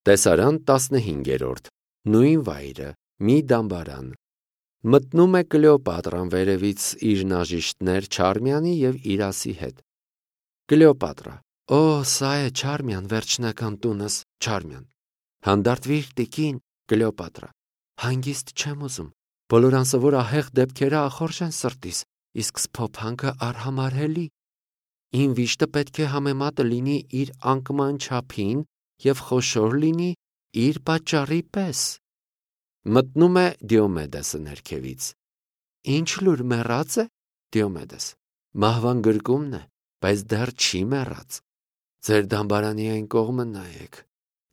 Տեսարան 15-րդ, նույն վայրը, մի դամբարան։ Մտնում է Կլեոպատրան վերևից իր նաժիշտներ Չարմյանի և Իրասի հետ։ Կլեոպատրա. Օ, սա է Չարմյան, վերջնական տունս, Չարմյան։ Հանդարտվիր, տիկին, Կլեոպատրա. հանգիստ չեմ ուզում, բոլոր անսովոր ահեղ դեպքերը ախորժ են սրտիս, իսկ սփոփանքը արհամարհելի։ Իմ վիշտը պետք է համեմատը լինի իր անկման չափին և խոշոր լինի իր պատճառի պես։ Մտնում է Դիոմեդեսը ներքևից։ Ինչ լուր մեռած է, Դիոմեդես։ Մահվան գրկումն է, բայց դեռ չի մեռած։ Ձեր դամբարանի այն կողմը նայեք,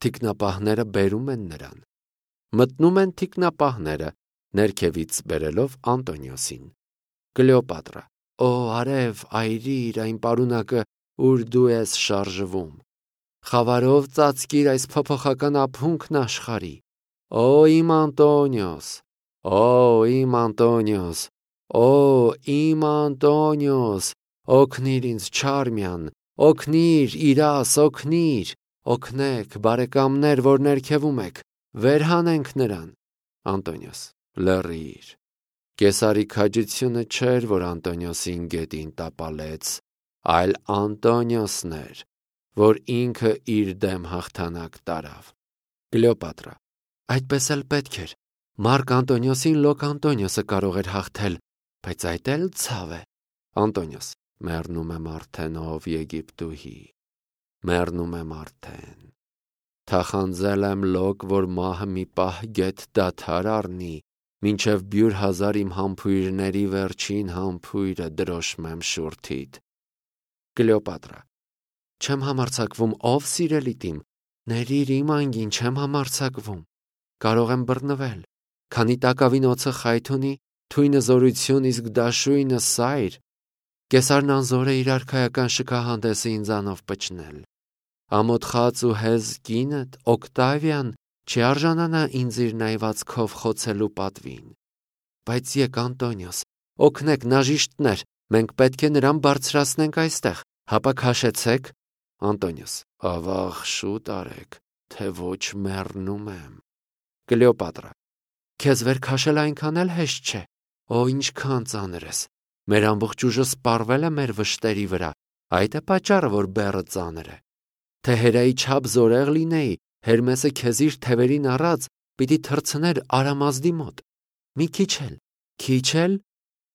թիկնապահները բերում են նրան։ Մտնում են թիկնապահները, ներքևից բերելով Անտոնիոսին։ Կլեոպատրա. Օ, արև, այրիր այն պարունակը, ուր դու ես շարժվում։ Խավարով ծածկիր այս փոփոխական ափունքն աշխարհի։ Օ, իմ Անտոնիոս, օ, իմ Անտոնիոս, օ, իմ Անտոնիոս, օգնիր ինձ, Չարմյան, օգնիր, Իրաս, օգնիր, օգնեք, բարեկամներ, որ ներքևում եք, վեր հանենք նրան։ Անտոնիոս. լռիր։ Կեսարի քաջությունը չէր, որ Անտոնիոսին գետին տապալեց, այլ Անտոնիոսն էր, որ ինքը իր դեմ հաղթանակ տարավ։ Կլեոպատրա. այդպես էլ պետք էր։ Մարկ Անտոնիոսին Լոկ Անտոնիոսը կարող էր հաղթել, բայց այդ էլ ցավ է։ Անտոնիոս. մեռնում եմ արդեն, ով Եգիպտուհի, մեռնում եմ արդեն։ Թախանձել եմ Լոկ, որ մահը մի պահ գետ դադար առնի, մինչև բյուր հազար իմ համբույրների վերջին համբույրը դրոշմեմ շուրթիդ։ Կլեոպատրա. չեմ համարձակվում, ով սիրելիդ իմ, ներիր իմ անգին, չեմ համարձակվում, կարող եմ բռնվել, քանի տակավին օձը խայթ ունի, թույնը զորություն, իսկ դաշույնը սայր։ Կեսարն անզոր է իր արքայական շքահանդեսը ինձանով պչնել։ Ամոթխած ու հեզ կինդ, Օկտավիան, չի արժանանա ինձ իր նայվածքով խոցելու պատվին։ Բայց եկ, Անտոնիոս, օգնեք, նաժիշտներ, մենք պետք է նրան բարձրացնենք այստեղ, հապա քաշեցեք։ Անտոնիոս. ավաղ շուտ արեք, թե ոչ մեռնում եմ։ Կլեոպատրա. քեզ վեր քաշել այնքան էլ հեշտ չէ։ Օ, ինչքան ծանր ես։ Մեր ամբողջ ուժը սպառվել է մեր վշտերի վրա, այդ է պատճառը, որ բեռը ծանր է։ Թե Հերայի չափ զորեղ լինեի, Հերմեսը քեզ իր թևերին առած պիտի թռցներ Արամազդի մոտ։ Մի քիչ էլ,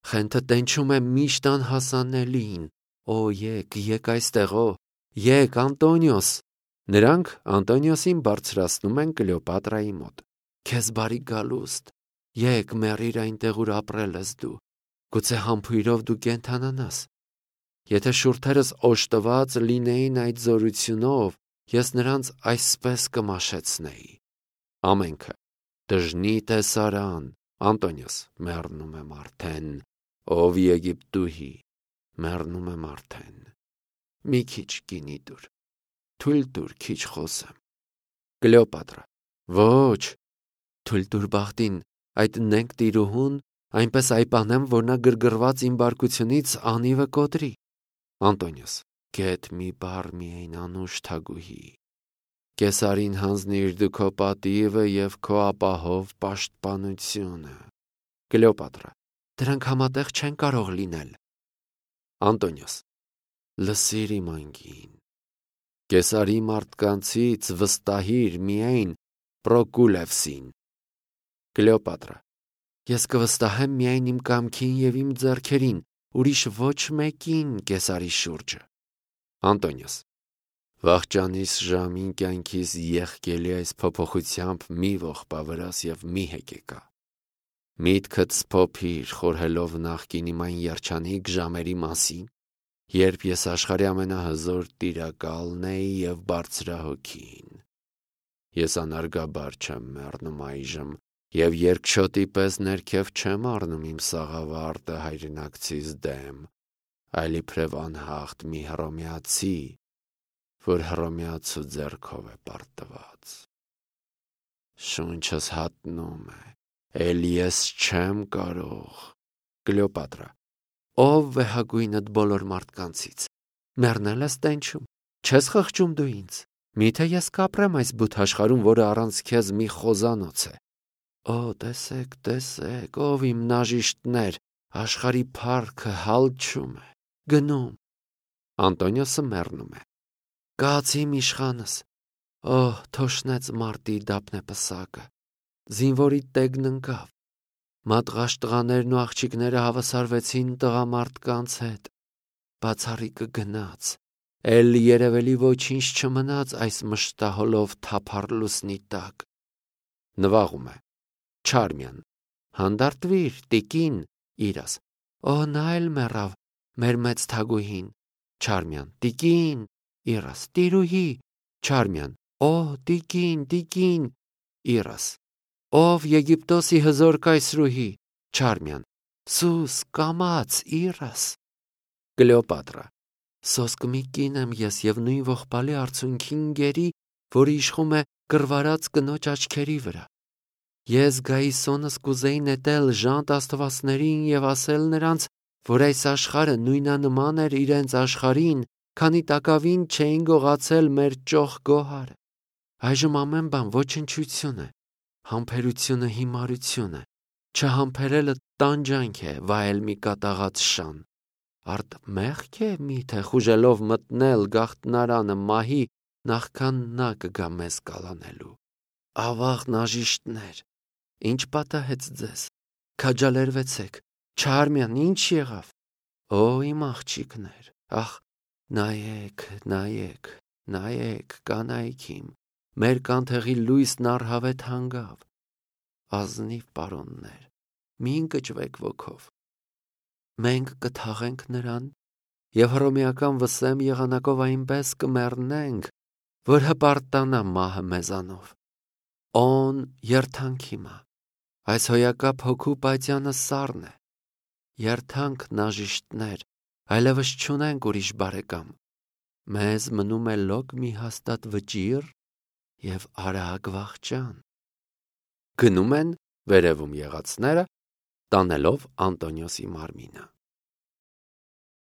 խենթը տենչում է միշտ անհասանելին։ Օ, եկ այստեղ, օ, եկ, Անտոնիոս։ Նրանք Անտոնիոսին բարձրացնում են Կլեոպատրայի մոտ։ Քեզ բարի գալուստ, եկ մեռիր այնտեղ, ուր ապրել ես դու, գուցե համբույրով դու կենթանանաս։ Եթե շուրթերս օժտված լինեին այդ զորությունով, ես նրանց այսպես կմաշեցնեի։ Ամենքը. դժնի տեսարան, Անտոնիոս, մեռնում եմ արդեն, ով Եգիպտուհի, մեռնում եմ արդեն։ Մի քիչ գինի տուր, թույլ տուր քիչ խոսեմ։ Կլեոպատրա. ոչ, թույլ տուր բախտին, այդ նենգ տիրուհուն, այնպես այպանեմ, որ նա գրգռված իմ բարկությունից անիվը կոտրի։ Անտոնիոս. գետ մի բառ միայն, անուշ թագուհի։ Կեսարին հանձնիր դու քո պատիվը և քո ապահով պաշտպանությունը։ Կլեոպատրա. դրանք համատեղ չեն կարող լինել։ Անտոնիոս. լսիր իմ անգին։ Կեսարի մարդկանցից վստահիր միայն Պրոկուլևսին։ Կլեոպատրա. ես կվստահեմ միայն իմ կամքին և իմ ձեռքերին, ուրիշ ոչ մեկին Կեսարի շուրջը։ Անտոնիոս. վախճանիս ժամին կյանքիս եղկելի այս փոփոխությամբ մի ողբա վրաս և մի հեկեկա։ Միտքդ սփոփիր, խորհելով նախկին իմ այն երջանիկ ժամերի մասին, երբ ես աշխարհի ամենահզոր տիրակալն էի և բարձրահոգին։ Ես անարգաբար չեմ մեռնում այժմ և երկչոտի պես ներքև չեմ առնում իմ սաղավարտը հայրենակցիս դեմ, այլ իբրև անհաղթ մի հռոմեացի, որ հռոմեացու ձեռքով է պարտված։ Շունչս հատնում է, էլ ես չեմ կարող։ Կլեոպատրա. ով վեհագույնդ բոլոր մարդկանցից, մեռնել ես տենչում, չես խղճում դու ինձ, Միթե ես կապրեմ այս բութ աշխարհում, որը առանց քեզ մի խոզանոց է։ Օ, տեսեք, ով իմ նաժիշտներ, աշխարհի փառքը հալչում է, գնում։ Անտոնիոսը մեռնում է։ Կաց իմ իշխանս։ Օ, թոշնեց մարտի դափնեպսակը։ Զինվորի տեգն ընկավ։ Մատղաշ տղաներն ու աղջիկները հավասարվեցին տղամարդկանց հետ։ Բացառիկը գնաց։ Էլ երևելի ոչինչ չմնաց այս մշտահոլով թափառ լուսնի տակ։ Նվաղում է։ Չարմյան, հանդարտվիր, տիկին, իրաս։ Օ, նա էլ մեռավ, մեր մեծ թագուհին։ Չարմյան, տիկին, իրաս, տիրուհի։ Չարմյան, օ, տիկին, իրաս։ Ով Եգիպտոսի հզոր կայսրուհի։ Չարմյան, սուս, կամաց, իրաս։ Կլեոպատրա, սոսկ մի կին եմ ես և նույն ողբալի արցունքին գերի, որը իշխում է կռվարած կնոջ աչքերի վրա։ Ես գայիսոնս կուզեի նետել ժանտ աստվածներին և ասել նրանց, որ այս աշխարհը նույնանման էր իրենց աշխարհին, քանի տակավին չէին գողացել մեր ճոխ գոհարը։ Այժմ ամեն բան ոչնչություն է, համբերությունը հիմարություն է, չհամբերելը տանջանք է, վայել մի կատաղած շան։ Արդ մեղք է միթե խուժելով մտնել գաղտնարանը մահի, նախքան նա կգա մեզ կալանելու։ Ավաղ նաժիշտներ, ինչ պատահեց ձեզ, քաջալերվեցեք, Չարմյան, ինչ եղավ։ Օ, իմ աղջիկներ, ախ, նայեք, կանայք իմ, մեր կանթեղի լույսն առհավետ հանգավ։ Ազնիվ պարոններ, մի ընկճվեք ոգով։ Մենք կթաղենք նրան և հռոմեական վսեմ եղանակով այնպես կմեռնենք, որ հպարտանա մահը մեզանով։ Օն երթանքի մա, այս հոյակապ հոգու պայծյանը սառն է։ Երթանք նաժիշտներ, այլևս չունենք ուրիշ բարեկամ։ Մեզ մնում է լոկ մի հաստատ վճիռ և արագ վախճան։ Գնում են վերևում եղածները, տանելով Անտոնիոսի մարմինը։